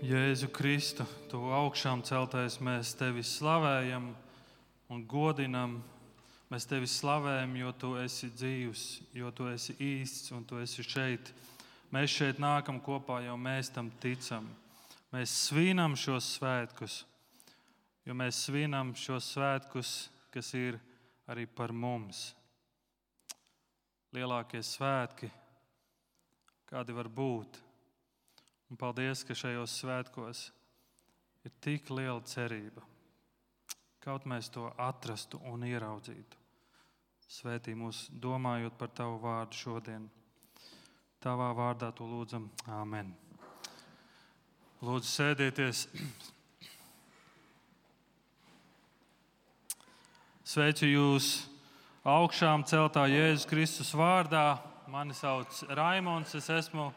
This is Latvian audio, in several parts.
Jēzu Kristu, tu augšām celtais, mēs tevi slavējam un godinam. Mēs tevi slavējam, jo tu esi dzīvs, jo tu esi īsts un tu esi šeit. Mēs šeit nākam kopā, jo mēs tam ticam. Mēs svinam šos svētkus, jo mēs svinam šos svētkus, kas ir arī par mums. Lielākie svētki, kādi var būt. Un paldies, ka šajos svētkos ir tik liela cerība. Kaut mēs to atrastu un ieraudzītu. Svētī mūs domājot par tavu vārdu šodien. Tavā vārdā to lūdzam. Āmen. Lūdzu, sēdieties. Sveicu jūs augšām celtā Jēzus Kristus vārdā. Mani sauc Raimons, es esmu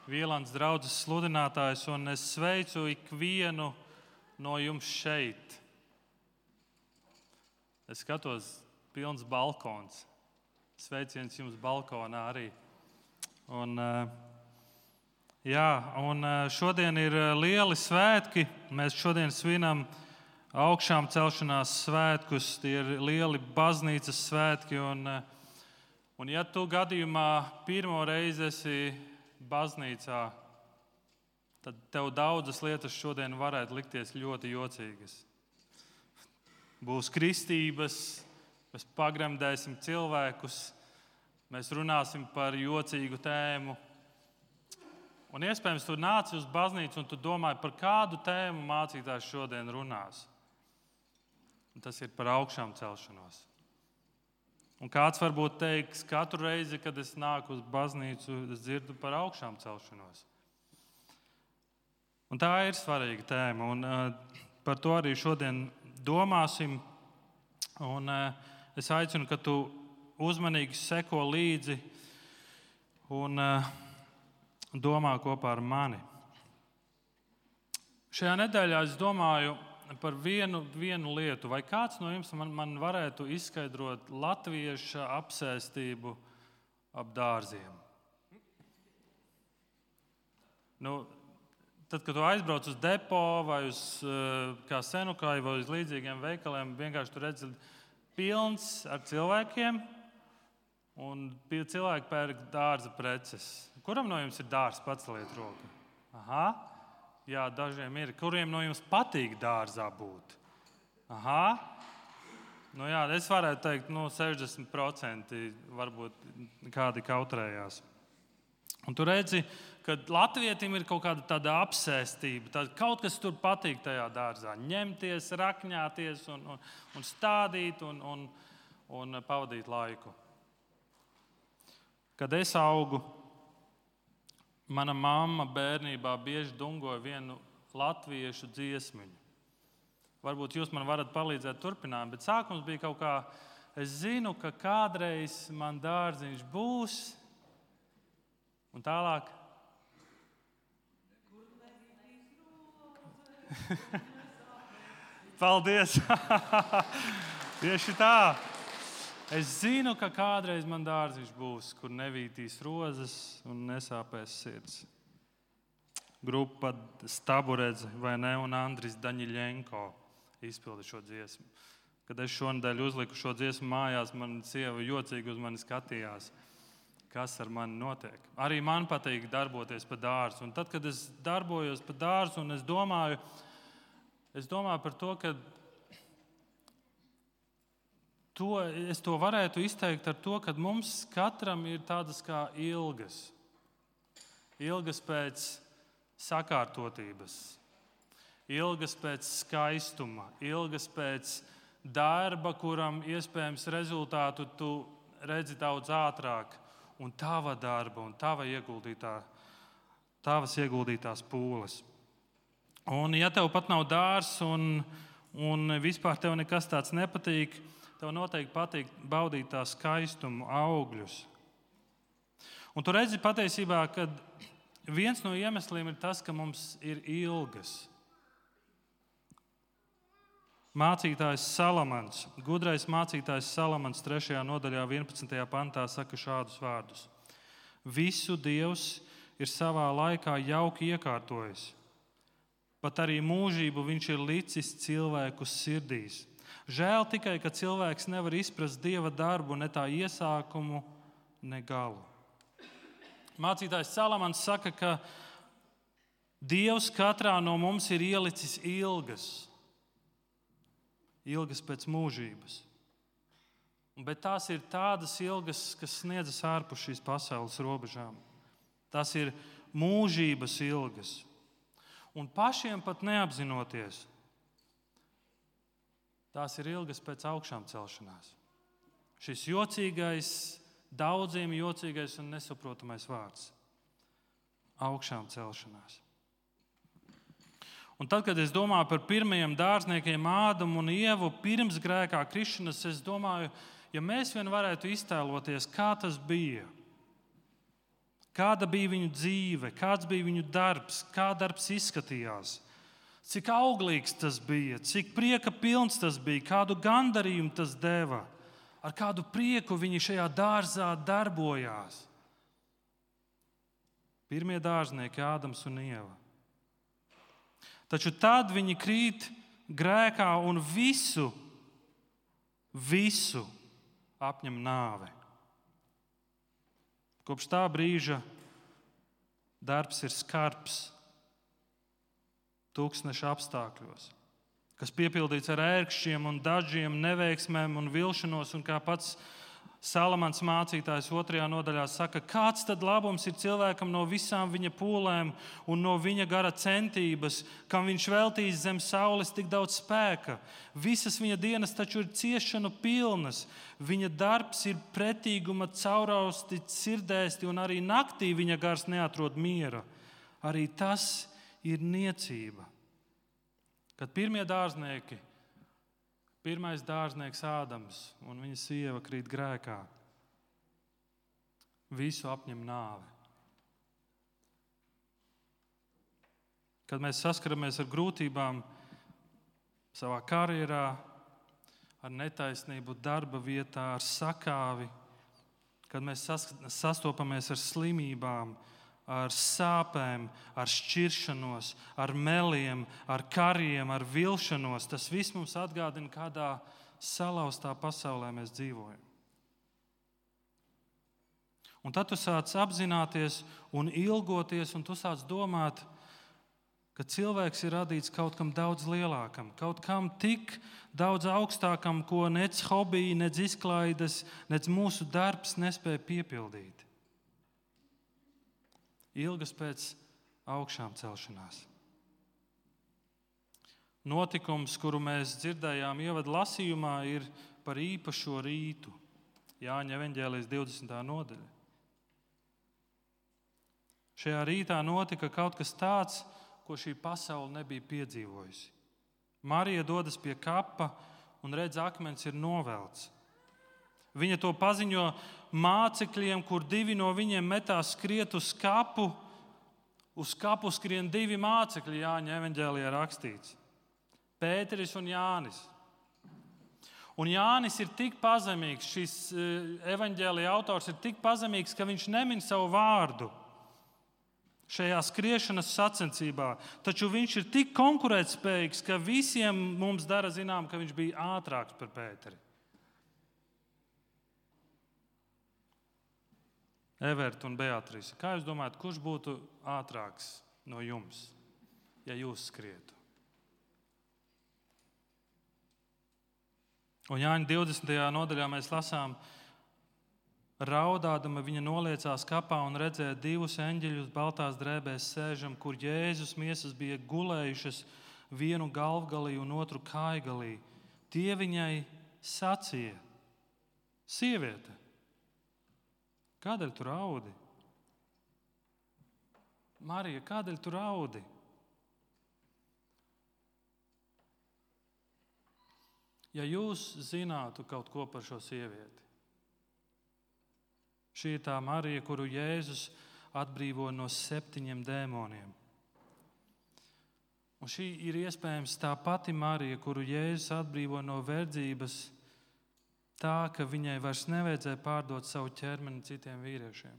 Vīlāns draudzes sludinātājs, un es sveicu ikvienu no jums šeit. Es skatos, pilns balkons. Sveiciens jums balkonā arī. Šodien ir lieli svētki. Mēs šodien svinam augšām celšanās svētkus. Tie ir lieli baznīcas svētki. Un ja tu gadījumā pirmo reizi esi baznīcā, tad tev daudzas lietas šodien varētu likties ļoti jocīgas. Būs kristības, mēs pagremdēsim cilvēkus, mēs runāsim par jocīgu tēmu. Un iespējams, tu nāci uz baznīcu un tu domāji, par kādu tēmu mācītājs šodien runās. Un tas ir par augšām celšanos. Un kāds varbūt teiks, katru reizi, kad es nāku uz baznīcu, es dzirdu par augšām celšanos. Un tā ir svarīga tēma, un par to arī šodien domāsim. Un es aicinu, ka tu uzmanīgi seko līdzi un domā kopā ar mani. Šajā nedēļā es domāju par vienu lietu. Vai kāds no jums man varētu izskaidrot latvieša apsēstību ap dārziem? Tad, kad tu aizbrauc uz depo vai uz kā Senukai vai uz līdzīgiem veikaliem, vienkārši tu redzi pilns ar cilvēkiem un cilvēki pērk dārza preces. Kuram no jums ir dārzs? Paceliet roku. Aha. Jā, dažiem ir. Kuriem no jums patīk dārzā būt? Aha. Es varētu teikt, 60% varbūt kādi kautrējās. Un tu redzi, ka latvietim ir kaut kāda tāda apsēstība, kaut kas tur patīk tajā dārzā. Ņemties, rakņāties un stādīt un pavadīt laiku. Kad es augu, mana mamma bērnībā bieži dungoja vienu latviešu dziesmiņu. Varbūt jūs man varat palīdzēt turpināt, bet sākums bija kaut kā, es zinu, ka kādreiz man dārziņš būs, un tālāk. Paldies! Tieši tā! Es zinu, ka kādreiz man dārziņš būs, kur nevītīs rozes un nesāpēs sirds. Grupa Staburedze, vai ne, un Andris Daņiļenko izpilda šo dziesmu. Kad es šonadēļ uzliku šo dziesmu mājās, man sieva jocīgi uz mani skatījās, kas ar mani notiek. Arī man patīk darboties pa dārzu. Un tad, kad es darbojos pa dārzu, un es domāju par to, ka es to varētu izteikt ar to, ka mums katram ir tādas kā ilgas. Ilgas pēc sakārtotības, ilgas pēc skaistuma, ilgas pēc darba, kuram iespējams rezultātu tu redzi daudz ātrāk, un tava darba un tavas ieguldītās pūles. Un ja tev pat nav dārzs un vispār tev nekas tāds nepatīk, tev noteikti patīk baudīt tā skaistumu, augļus. Un tu redzi patiesībā, ka viens no iemesliem ir tas, ka mums ir ilgas. Mācītājs Salamans, gudrais mācītājs Salamans 3. nodaļā 11. pantā saka šādus vārdus. Visu Dievs ir savā laikā jauki iekārtojis. pat arī mūžību viņš ir licis cilvēku sirdīs. Žēl tikai, ka cilvēks nevar izprast Dieva darbu, ne tā iesākumu, ne galu. Mācītājs Salamans saka, ka Dievs katrā no mums ir ielicis ilgas pēc mūžības. Bet tās ir tādas ilgas, kas sniedzas ārpus šīs pasaules robežām. Tās ir mūžības ilgas. Un pašiem pat neapzinoties, tās ir ilgas pēc augšām celšanās. Šis jocīgais, daudziem jocīgais un nesaprotamais vārds - augšām celšanās. Un tad, kad es domāju par pirmajiem dārzniekiem Ādamu un Ievu pirms grēkā krišanas, es domāju, ja mēs vien varētu iztēloties, kā tas bija, kāda bija viņu dzīve, kāds bija viņu darbs, kā darbs izskatījās, cik auglīgs tas bija, cik prieka pilns tas bija, kādu gandarījumu tas deva, ar kādu prieku viņi šajā dārzā darbojās. Pirmie dārznieki Ādams un Ieva. Taču tad viņi krīt grēkā un visu apņem nāve. Kopš tā brīža darbs ir skarbs, tūkstneša apstākļos, kas piepildīts ar ērkšķiem un dažiem neveiksmēm un vilšanos, un kā pats Salamans mācītājs 2. nodaļā saka, kāds tad labums ir cilvēkam no visām viņa pūlēm un no viņa gara centības, kam viņš veltīs zem saules tik daudz spēka. Visas viņa dienas taču ir ciešanu pilnas, viņa darbs ir pretīguma caurausti sirdēsti, un arī naktī viņa gars neatrod miera. Arī tas ir niecība. Kad pirmie dārznieki, pirmais dārznieks Ādams un viņa sieva krīt grēkā, visu apņem nāve. Kad mēs saskaramies ar grūtībām savā karjerā, ar netaisnību darba vietā, ar sakāvi, kad mēs sastopamies ar slimībām, ar sāpēm, ar šķiršanos, ar meliem, ar kariem, ar vilšanos, tas viss mums atgādina, kādā salauztā pasaulē mēs dzīvojam. Un tad tu sāc apzināties un ilgoties, un tu sāc domāt, ka cilvēks ir radīts kaut kam daudz lielākam, kaut kam tik daudz augstākam, ko nec hobiji, nec izklaides, nec mūsu darbs nespēja piepildīt. Ilgas pēc augšām celšanās. Notikums, kuru mēs dzirdējām ievadu lasījumā, ir par īpašo rītu. Jāņa evaņģēlijas 20. nodaļa. Šajā rītā notika kaut kas tāds, ko šī pasaule nebija piedzīvojusi. Marija dodas pie kapa un redz, akmens ir novelts. Viņa to paziņo mācekļiem, kur 2 no viņiem metās skriet uz kapu. Uz kapu skrien 2 mācekļi, Jāņa evaņģēlijā rakstīts. Pēteris un Jānis. Un Jānis ir tik pazemīgs, šis evaņģēlija autors ir tik pazemīgs, ka viņš nemin savu vārdu šajā skriešanas sacensībā. Taču viņš ir tik konkurētspējīgs, ka visiem mums dara zinām, ka viņš bija ātrāks par Pēteri. Everta un Beatrīse, kā jūs domājat, kurš būtu ātrāks no jums, ja jūs skrietu? Un Jāņa 20. nodaļā mēs lasām, raudādama viņa noliecās kapā un redzēja 2 eņģeļus baltās drēbēs sēžam, kur Jēzus miesas bija gulējušas vienu galvgalī un otru kājgalī. Tie viņai sacīja, sieviete, kādēļ tu raudi? Marija, kādēļ tu raudi? Ja jūs zinātu kaut ko par šo sievieti, šī ir tā Marija, kuru Jēzus atbrīvo no 7 dēmoniem. Un šī ir iespējams tā pati Marija, kuru Jēzus atbrīvo no verdzības, tā, ka viņai vairs nevajadzēja pārdot savu ķermeni citiem vīriešiem.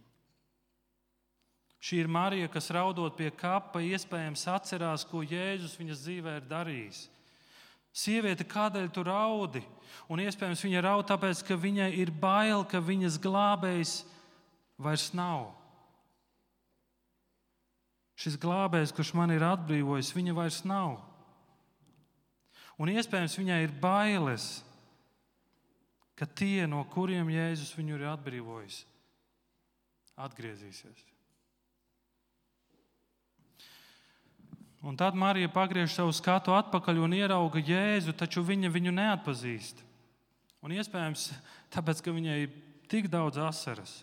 Šī ir Marija, kas raudot pie kapa, iespējams atcerās, ko Jēzus viņas dzīvē ir darījis. Sieviete, kādēļ tu raudi? Un iespējams viņa raud tāpēc, ka viņai ir bail, ka viņas glābējs vairs nav. Šis glābējs, kurš man ir atbrīvojis, viņa vairs nav. Un iespējams viņai ir bailes, ka tie, no kuriem Jēzus viņu ir atbrīvojis, atgriezīsies. Un tad Marija pagriež savu skatu atpakaļ un ierauga Jēzu, taču viņa viņu neatpazīst. Un iespējams, tāpēc, ka viņai ir tik daudz asaras.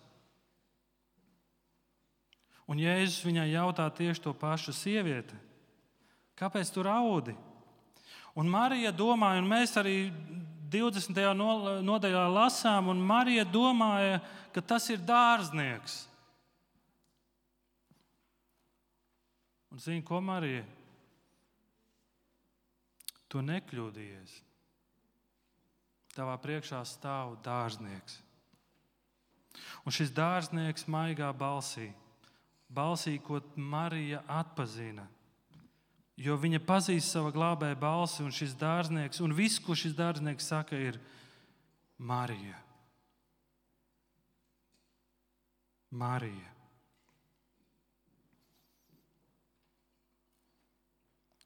Un Jēzus viņai jautā tieši to pašu: sieviete, kāpēc tu raudi? Un Marija domāja, un mēs arī 20. nodaļā lasām, un Marija domāja, ka tas ir dārznieks. Un zini, ko, Marija? Tu nekļūdījies. Tavā priekšā stāv dārznieks. Un šis dārznieks maigā balsī, ko Marija atpazina. Jo viņa pazīst sava glābēja balsi, un šis dārznieks, un viss, ko šis dārznieks saka, ir Marija. Marija.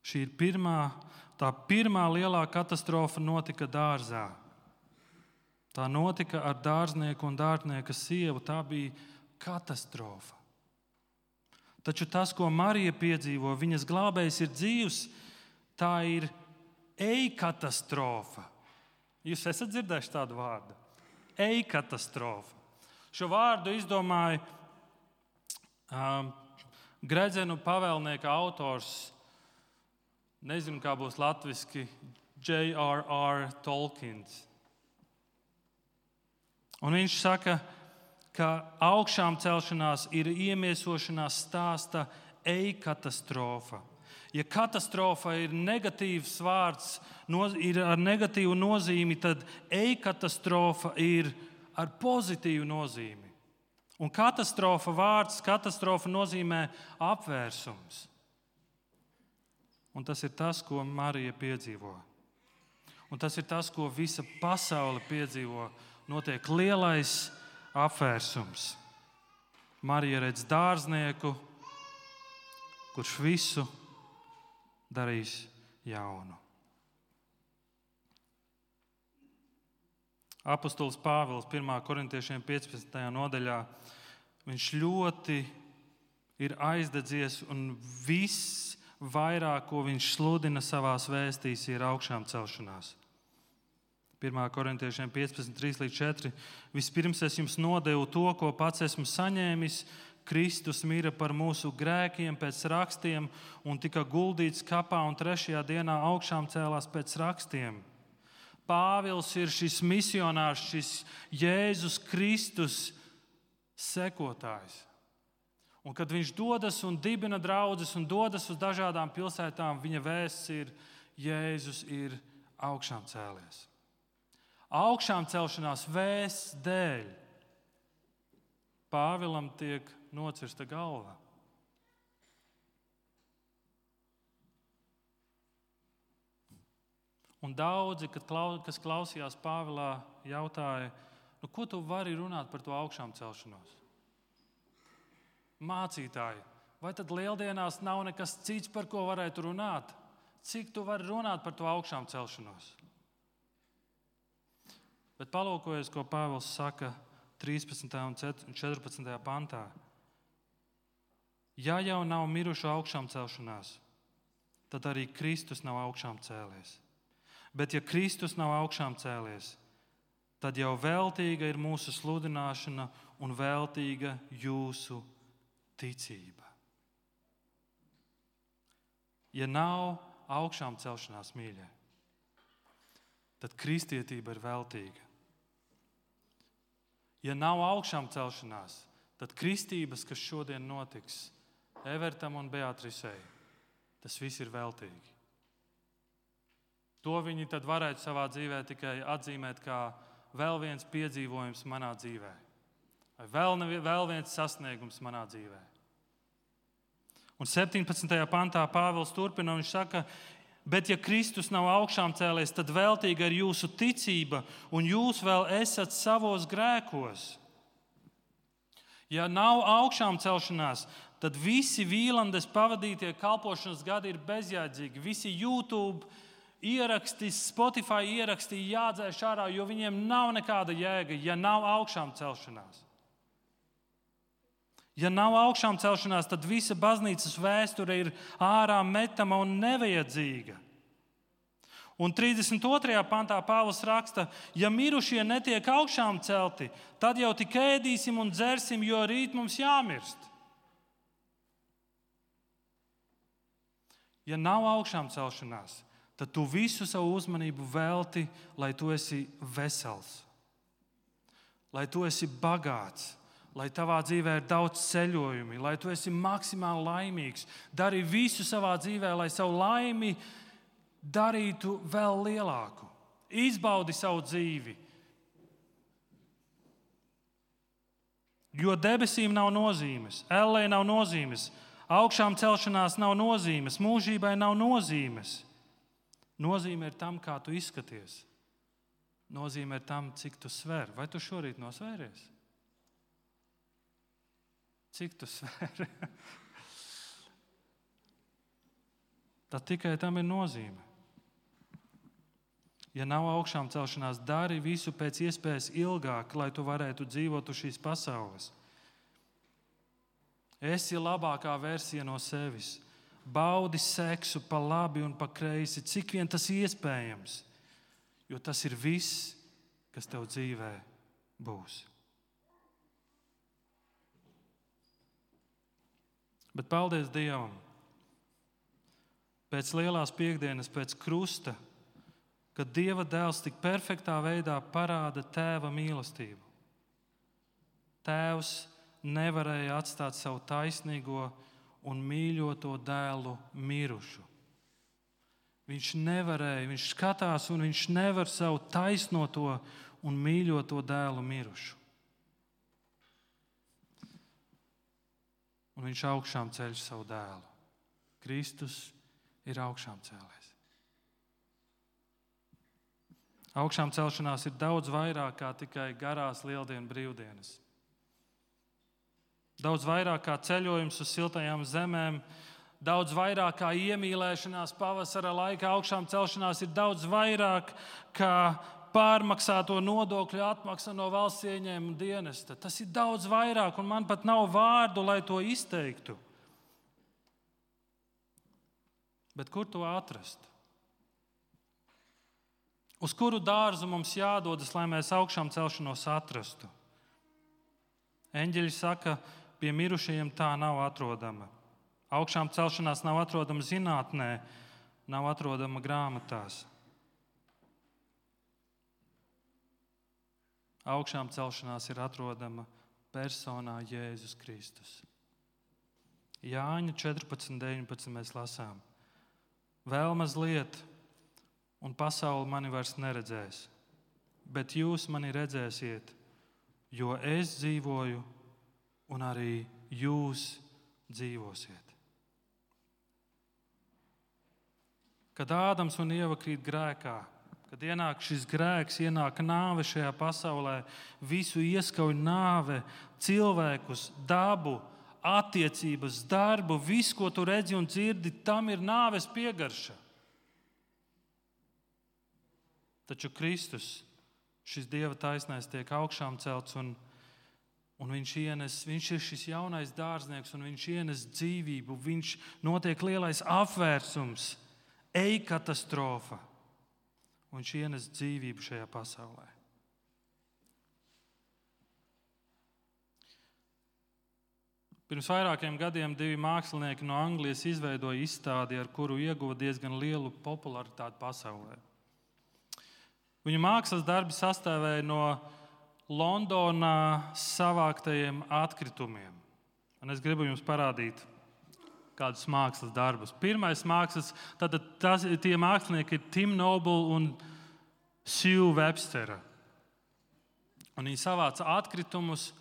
Šī ir tā pirmā lielā katastrofa notika dārzā. Tā notika ar dārznieku un dārznieka sievu. Tā bija katastrofa. Taču tas, ko Marija piedzīvo, viņas glābējs ir dzīvs, tā ir e-katastrofa. Jūs esat dzirdējuši tādu vārdu? E-katastrofa. Šo vārdu izdomāja Gredzenu pavēlnieka autors, nezinu, kā būs latviski, J.R.R. Tolkiens. Un viņš saka, ka augšām celšanās ir iemiesošanās stāsta e-katastrofa. Ja katastrofa ir negatīvs vārds, ir ar negatīvu nozīmi, tad e-katastrofa ir ar pozitīvu nozīmi. Un katastrofa nozīmē apvērsums. Un tas ir tas, ko Marija piedzīvo. Un tas ir tas, ko visa pasaule piedzīvo. Notiek lielais apvērsums. Marija redz dārznieku, kurš visu darīs jaunu. Apostols Pāvils 1. korintiešiem 15. nodaļā, viņš ļoti ir aizdedzies, un viss vairāk, ko viņš sludina savās vēstīs, ir augšām celšanās. 1. korintiešiem 15:3-4. Vispirms es jums nodevu to, ko pats esmu saņēmis. Kristus mira par mūsu grēkiem pēc rakstiem un tika guldīts kapā, un 3. dienā augšām cēlās pēc rakstiem. Pāvils ir šis misionārs, šis Jēzus Kristus sekotājs. Un kad viņš dodas un dibina draudzes un dodas uz dažādām pilsētām, viņa vēsts ir: Jēzus ir augšām cēlies. Augšām celšanās vēsts dēļ Pāvilam tiek nocirsta galva. Un daudzi, kas klausījās Pāvilā, jautāja, ko tu vari runāt par to augšām celšanos? Mācītāji, vai tad lieldienās nav nekas cits, par ko varētu runāt? Cik tu vari runāt par to augšām celšanos? Bet palūkojies, ko Pāvils saka 13. un 14. pantā. Ja jau nav mirušu augšām celšanās, tad arī Kristus nav augšām cēlies. Bet ja Kristus nav augšām cēlies, tad jau veltīga ir mūsu sludināšana un veltīga jūsu ticība. Ja nav augšām celšanās, mīļie, tad kristietība ir veltīga. Ja nav augšām celšanās, tad kristības, kas šodien notiks Evertam un Beatrisei, tas viss ir veltīgi. To viņi tad varētu savā dzīvē tikai atzīmēt kā vēl viens piedzīvojums manā dzīvē. Vai vēl viens sasniegums manā dzīvē. Un 17. pantā Pāvils turpina, un viņš saka, bet ja Kristus nav augšām cēlies, tad veltīga ir jūsu ticība, un jūs vēl esat savos grēkos. Ja nav augšām celšanās, tad visi Vīlandes pavadītie kalpošanas gadi ir bezjēdzīgi. Visi YouTube ieraksti, Spotify ieraksti jādzēš ārā, jo viņiem nav nekāda jēga, ja nav augšām celšanās. Ja nav augšām celšanās, tad visa baznīcas vēsture ir ārā metama un nevajadzīga. Un 32. pantā Pāvils raksta, ja mirušie netiek augšām celti, tad jau tik ēdīsim un dzersim, jo rīt mums jāmirst. Ja nav augšām celšanās, tad tu visu savu uzmanību velti, lai tu esi vesels, lai tu esi bagāts, lai tavā dzīvē ir daudz ceļojumi, lai tu esi maksimāli laimīgs. Dari visu savā dzīvē, lai savu laimi darītu vēl lielāku. Izbaudi savu dzīvi. Jo debesīm nav nozīmes, ellē nav nozīmes, augšām celšanās nav nozīmes, mūžībai nav nozīmes. Nozīme ir tam, kā tu izskaties. Nozīme ir tam, cik tu sver. Vai tu šorīt nosvēries? Cik tu sver? Tad tikai tam ir nozīme. Ja nav augšām celšanās, dari visu pēc iespējas ilgāk, lai tu varētu dzīvot uz šīs pasaules. Esi labākā versija no sevis. Baudi seksu pa labi un pa kreisi, cik vien tas iespējams, jo tas ir viss, kas tev dzīvē būs. Bet paldies Dievam, pēc lielās piekdienas, pēc krusta, kad Dieva dēls tik perfektā veidā parāda tēva mīlestību. Tēvs nevarēja atstāt savu taisnīgo un mīļoto dēlu mirušu. Viņš nevarēja, viņš skatās un viņš nevar savu taisnoto un mīļoto dēlu mirušu. Un viņš augšām ceļ savu dēlu. Kristus ir augšām cēlies. Augšām celšanās ir daudz vairāk kā tikai garās lieldienu brīvdienas. Daudz vairāk kā ceļojums uz siltajām zemēm, daudz vairāk kā iemīlēšanās pavasara laikā. Augšām celšanās ir daudz vairāk kā pārmaksāto nodokļu atmaksa no valsts ieņēmuma dienesta. Tas ir daudz vairāk, un man pat nav vārdu, lai to izteiktu. Bet kur to atrast? Uz kuru dārzu mums jādodas, lai mēs augšām celšanos atrastu? Eņģeļi saka, pie mirušajiem tā nav atrodama. Augšām celšanās nav atrodama zinātnē, nav atrodama grāmatās. Augšām celšanās ir atrodama personā Jēzus Kristus. Jāņa 14:19 mēs lasām. Vēl mazliet, un pasaule mani vairs neredzēs, bet jūs mani redzēsiet, jo es dzīvoju, un arī jūs dzīvosiet. Kad Ādams un Ieva krīt grēkā, kad ienāk šis grēks, ienāk nāve šajā pasaulē, visu ieskauj nāve, cilvēkus, dabu, attiecības, darbu, visu, ko tu redzi un dzirdi, tam ir nāves piegarša. Taču Kristus, šis Dieva taisnais, tiek augšām celts, un viņš ir šis jaunais dārznieks, un viņš ienes dzīvību, viņš notiek lielais apvērsums, katastrofa. Un viņš ienes dzīvību šajā pasaulē. Pirms vairākiem gadiem 2 mākslinieki no Anglijas izveidoja izstādi, ar kuru ieguva diezgan lielu popularitāti pasaulē. Viņu mākslas darbi sastāvēja no Londonā savāktajiem atkritumiem. Un es gribu jums parādīt kādus mākslas darbus. Pirmais mākslas, tie mākslinieki ir Tim Noble un Sue Webstera. Un viņi savāca atkritumus,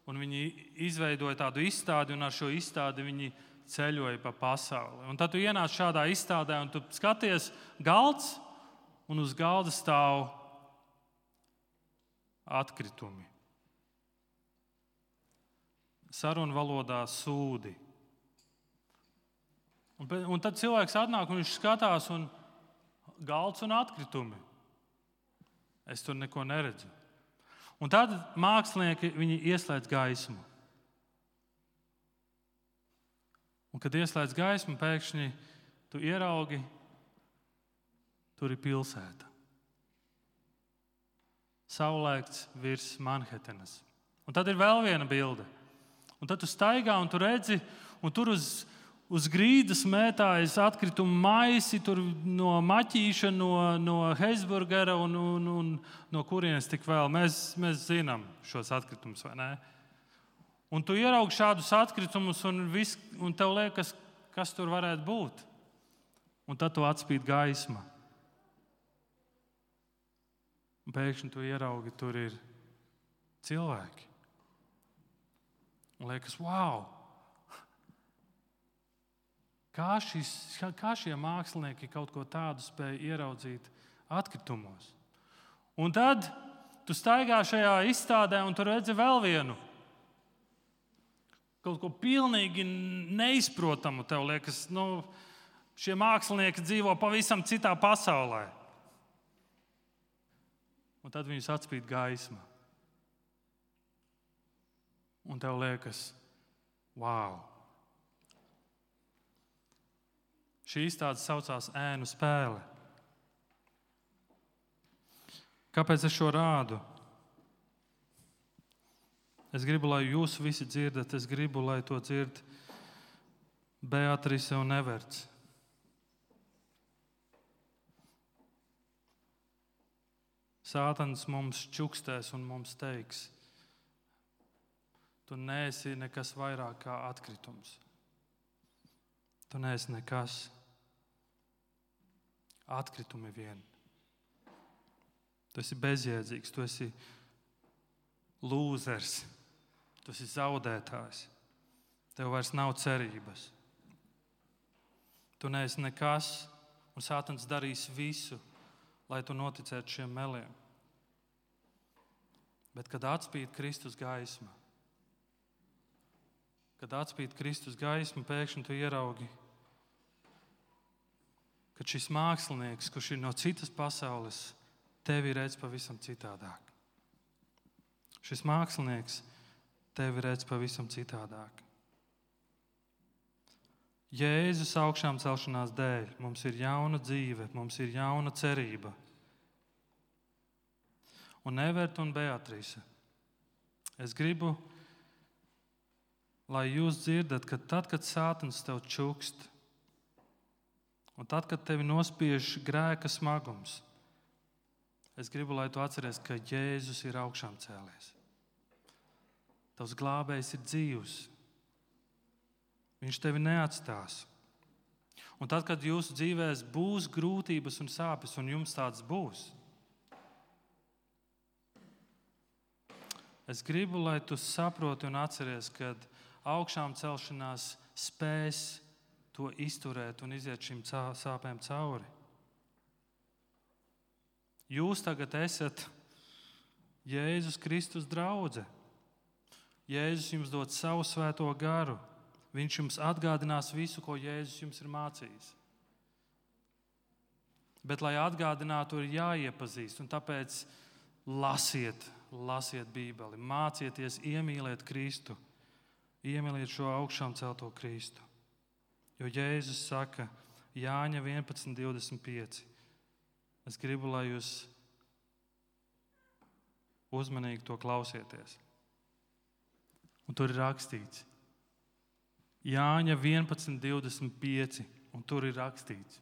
un viņi izveidoja tādu izstādi, un ar šo izstādi viņi ceļoja pa pasauli. Un tad tu ienāc šādā izstādē un tu skaties galds, un uz galda stāv atkritumi. Sarunu valodā sūdi. Un tad cilvēks atnāk un viņš skatās, un galds un atkritumi. Es tur neko neredzu. Un tad mākslinieki viņi ieslēdz gaismu. Un, kad ieslēdz gaismu, pēkšņi tu ieraugi, tur ir pilsēta. Saulēkts virs Manhetenas. Un tad ir vēl viena bilde. Un tad tu staigā un tu redzi, un tur uz grīdas mētājas atkritumu maisi, tur no maķīša, no Heisburgera un no kurienes tik vēl. Mēs zinām šos atkritumus, vai ne? Un tu ieraugi šādus atkritumus un tev liekas, kas tur varētu būt. Un tad tu atspīd gaisma. Un pēkšņi tu ieraugi, tur ir cilvēki. Un liekas, wow! Kā šie mākslinieki kaut ko tādu spēja ieraudzīt atkritumos? Un tad tu staigā šajā izstādē un tu redzi vēl vienu. Kaut ko pilnīgi neizprotamu. Tev liekas, šie mākslinieki dzīvo pavisam citā pasaulē. Un tad viņus atspīd gaisma. Un tev liekas, wow! Šī izstāde saucās Ēnu spēle. Kāpēc es šo rādu? Es gribu, lai jūs visi dzirdat. Es gribu, lai to dzird Beatrice un Everts. Sātans mums čukstēs un mums teiks, tu neesi nekas vairāk kā atkritums. Tu neesi nekas. Atkritumi vien. Tu esi bezjēdzīgs, tu esi lūzers, tu esi zaudētājs. Tev vairs nav cerības. Tu neesi nekas, un Sātans darīs visu, lai tu noticētu šiem meliem. Bet, kad atspīd Kristus gaisma, pēkšņi tu ieraugi, ka šis mākslinieks, kurš ir no citas pasaules, tevi redz pavisam citādāk. Šis mākslinieks tevi redz pavisam citādāk. Jēzus augšām celšanās dēļ mums ir jauna dzīve, mums ir jauna cerība. Un Everta un Beatrice, es gribu, lai jūs dzirdat, ka tad, kad Sātans tev čukst, un tad, kad tevi nospiež grēka smagums, es gribu, lai tu atceries, ka Jēzus ir augšām cēlies. Tavs glābējs ir dzīvs. Viņš tevi neatstās. Un tad, kad jūsu dzīvēs būs grūtības un sāpes, un jums tāds būs, es gribu, lai tu saproti un atceries, ka augšām celšanās spēs to izturēt un iziet šīm sāpēm cauri. Jūs tagad esat Jēzus Kristus draudze. Jēzus jums dod savu svēto garu. Viņš jums atgādinās visu, ko Jēzus jums ir mācījis. Bet, lai atgādinātu, ir jāiepazīst, un tāpēc lasiet Bībeli, mācieties iemīlēt Kristu, iemīliet šo augšām celto Kristu. Jo Jēzus saka, Jāņa 11:25, es gribu, lai jūs uzmanīgi to klausieties. Un tur ir rakstīts, Jāņa 11:25, un tur ir rakstīts.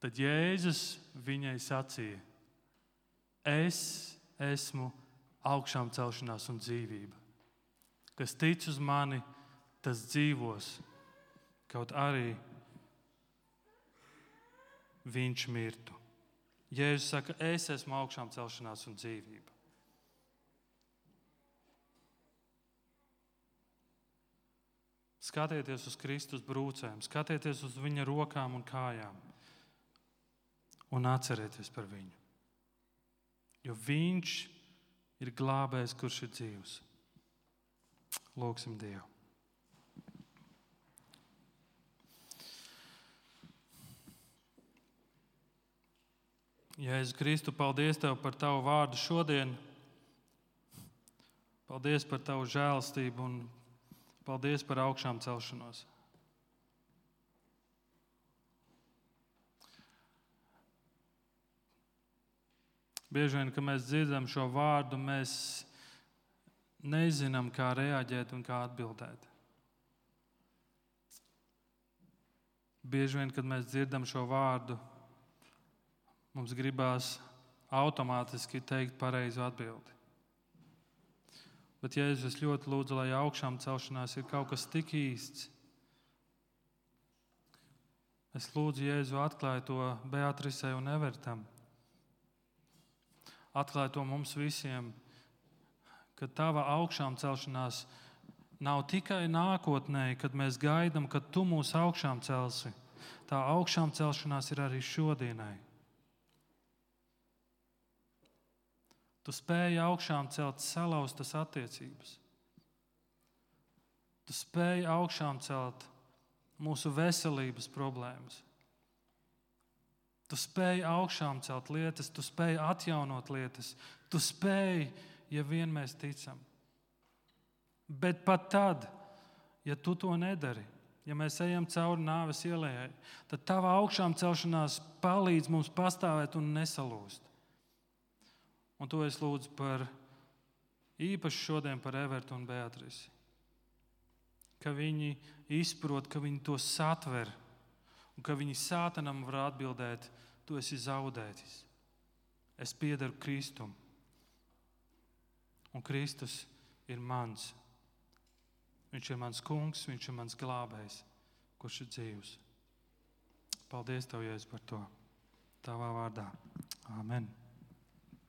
Tad Jēzus viņai sacīja, es esmu augšām celšanās un dzīvība. Kas tic uz mani, tas dzīvos, kaut arī viņš mirtu. Jēzus saka, es esmu augšām celšanās un dzīvība. skatieties uz Kristus brūcēm, skatieties uz viņa rokām un kājām un atcerieties par viņu. Jo viņš ir glābējs, kurš ir dzīvs. Lūgsim Dievu. Jēzus Kristu, paldies Tev par Tavu vārdu šodien. Paldies par Tavu žēlastību un paldies par augšām celšanos. Bieži vien, kad mēs dzirdam šo vārdu, mēs nezinām, kā reaģēt un kā atbildēt. Bieži vien, kad mēs dzirdam šo vārdu, mums gribās automātiski teikt pareizu atbildi. Bet, Jēzus, es ļoti lūdzu, lai augšām celšanās ir kaut kas tik īsts. Es lūdzu, Jēzu, atklāj to Beatrisei un Evertam. Atklāj to mums visiem, ka Tava augšām celšanās nav tikai nākotnē, kad mēs gaidām, kad Tu mūs augšām celsi. Tā augšām celšanās ir arī šodienai. Tu spēji augšām celt salauztas attiecības. Tu spēji augšām celt mūsu veselības problēmas. Tu spēji augšām celt lietas, tu spēji atjaunot lietas. Tu spēji, ja vien mēs ticam. Bet pat tad, ja Tu to nedari, ja mēs ejam cauri nāves ielai, tad Tava augšām celšanās palīdz mums pastāvēt un nesalūst. Un to es lūdzu par īpaši šodien par Evertu un Beatrisi. Ka viņi izprot, ka viņi to satver un ka viņi sātanam var atbildēt, tu esi zaudētis. Es piederu Kristum. Un Kristus ir mans. Viņš ir mans kungs, viņš ir mans glābējs, kurš ir dzīvs. Paldies Tev, Jēzus, par to. Tavā vārdā. Āmen.